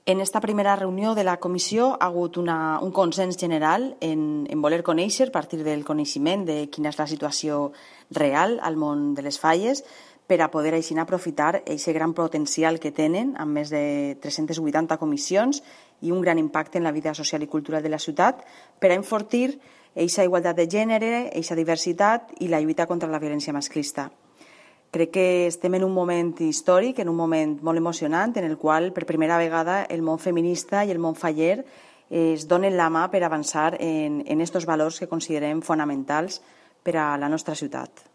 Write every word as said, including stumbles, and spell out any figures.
En esta primera reunió de la comissió ha hagut una, un consens general en, en voler conèixer, a partir del coneixement de quina és la situació real al món de les falles, per a poder així aprofitar aquest gran potencial que tenen, amb més de tres-centes vuitanta comissions i un gran impacte en la vida social i cultural de la ciutat, per a enfortir aquesta igualtat de gènere, aquesta diversitat i la lluita contra la violència masclista. Crec que estem en un moment històric, en un moment molt emocionant, en el qual per primera vegada el món feminista i el món faller es donen la mà per avançar en aquests valors que considerem fonamentals per a la nostra ciutat.